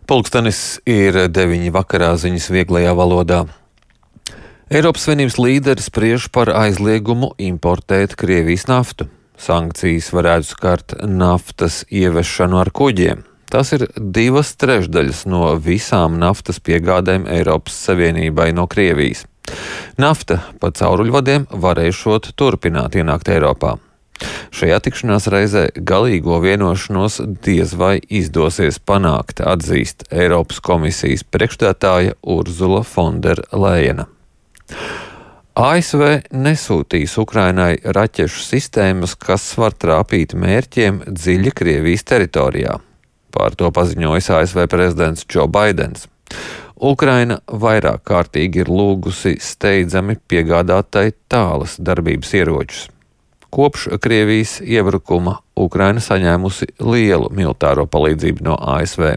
Pulkstenis ir 9 vakarā ziņas vieglajā valodā. Eiropas Savienības līderis spriež par aizliegumu importēt Krievijas naftu. Sankcijas varētu skart naftas ievešanu ar kuģiem. Tas ir 2/3 no visām naftas piegādēm Eiropas Savienībai no Krievijas. Nafta pa cauruļvadiem varēšot turpināt ienākt Eiropā. Šajā tikšanās reizē galīgo vienošanos diez vai izdosies panākt, atzīst Eiropas komisijas priekšstādātāja Urzula Fonderlejena. ASV nesūtīs Ukrainai raķešu sistēmas, kas var trāpīt mērķiem dziļi Krievijas teritorijā. Par to paziņojis ASV prezidents Džo Baidens. Ukraina vairāk kārtīgi ir lūgusi steidzami piegādātai tālas darbības ieročus. Kopš Krievijas iebrukuma Ukraina saņēmusi lielu militāro palīdzību no ASV.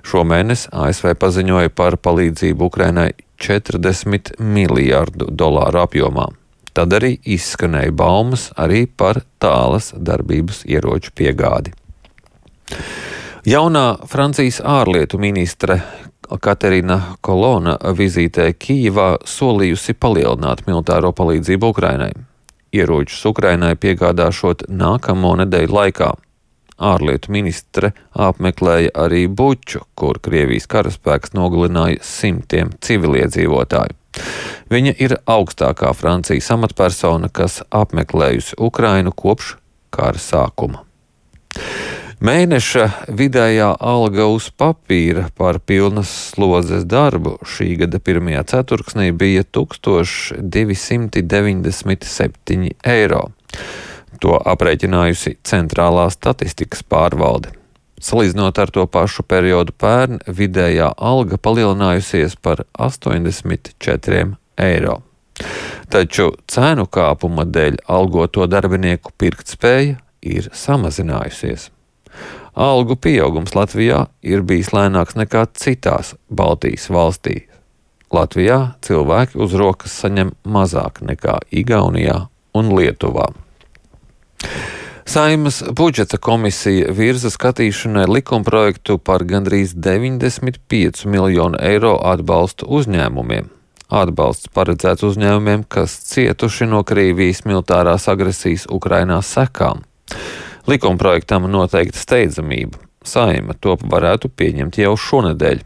Šomēnes ASV paziņoja par palīdzību Ukrainai $40 miljārdu apjomā. Tad arī izskanēja baumas arī par tālas darbības ieroču piegādi. Jaunā Francijas ārlietu ministre Katerina Kolona vizītē Kijivā solījusi palielināt militāro palīdzību Ukrainai. Ieročus Ukrainai piegādāšot nākamo nedēļu laikā. Ārlietu ministre apmeklēja arī Buču, kur Krievijas karaspēks nogalināja simtiem civiliedzīvotāju. Viņa ir augstākā Francijas amatpersona, kas apmeklējusi Ukrainu kopš kara sākuma. Mēneša vidējā alga uz papīra par pilnas slodzes darbu šī gada pirmajā ceturksnī bija 1297 eiro. To aprēķinājusi Centrālā statistikas pārvalde. Salīdzinot ar to pašu periodu pērn, vidējā alga palielinājusies par 84 eiro. Taču cēnu kāpuma dēļ algoto darbinieku pirktspēja ir samazinājusies. Algu pieaugums Latvijā ir bijis lēnāks nekā citās Baltijas valstīs. Latvijā cilvēki uz rokas saņem mazāk nekā Igaunijā un Lietuvā. Saeimas budžeta komisija virza skatīšanai likumprojektu par gandrīz 95 miljonu eiro atbalstu uzņēmumiem. Atbalsts paredzēts uzņēmumiem, kas cietuši no Krievijas militārās agresijas Ukrainā sekām. Likumprojektam noteikta steidzamība. Saeima to varētu pieņemt jau šonedēļ.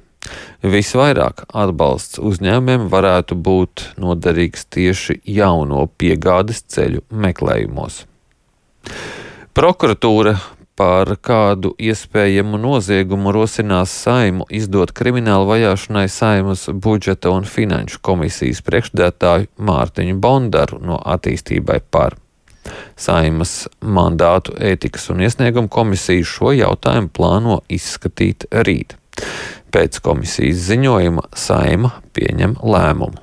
Visvairāk atbalsts uzņēmumiem varētu būt noderīgs tieši jauno piegādes ceļu meklējumos. Prokuratūra par kādu iespējamu noziegumu rosinās Saimu izdot kriminālu vajāšanai Saimas budžeta un finanšu komisijas priekšsēdētāju Mārtiņu Bondaru no Attīstībai par. Saimas mandātu ētikas un iesnieguma komisija šo jautājumu plāno izskatīt rīt. Pēc komisijas ziņojuma Saima pieņem lēmumu.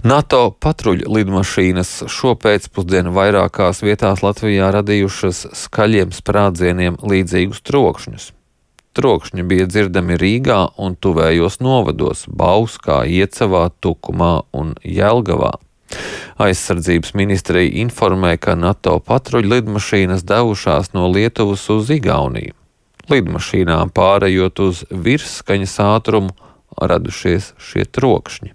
NATO patruļu lidmašīnas šopēcpusdienu vairākās vietās Latvijā radījušas skaļiem sprādzieniem līdzīgus trokšņus. Trokšņi bija dzirdami Rīgā un tuvējos novados Bauskā, Iecavā, Tukumā un Jelgavā. Aizsardzības ministrija informē, ka NATO patruļu lidmašīnas devušās no Lietuvas uz Igauniju. Lidmašīnām pārējot uz virsskaņas ātrumu radušies šie trokšņi.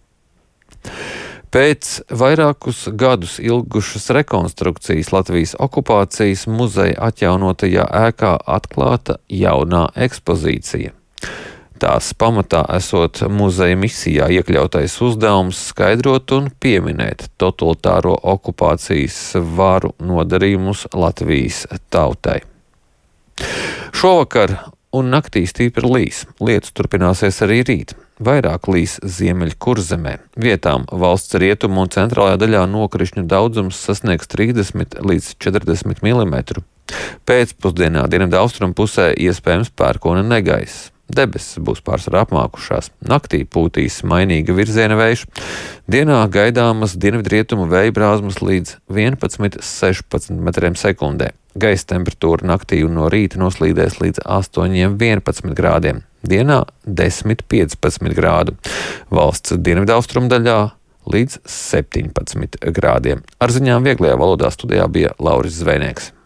Pēc vairākus gadus ilgušas rekonstrukcijas Latvijas okupācijas muzeja atjaunotajā ēkā atklāta jaunā ekspozīcija. Tās pamatā esot muzeja misijā iekļautais uzdevums skaidrot un pieminēt totalitāro okupācijas varu nodarījumus Latvijas tautai. Šovakar un naktī stipri līs. Lietus turpināsies arī rīt. Vairāk līs Ziemeļkurzemē. Vietām valsts rietumu un centrālajā daļā nokrišņu daudzums sasniegs 30 līdz 40 mm. Pēcpusdienā dienvidaustrumu pusē iespējams pērkona negaiss. Debesis būs pārsvarā apmākušās. Naktī pūtīs mainīga virziena vējš. Dienā gaidāmas dienvidrietumu vēja brāzmas līdz 11–16 metriem sekundē. Gaisa temperatūra naktī un no rīta noslīdēs līdz 8–11 grādiem. Dienā 10–15 grādu. Valsts dienvidaustrumu daļā līdz 17 grādiem. Ar ziņām vieglajā valodā studijā bija Lauris Zvejnieks.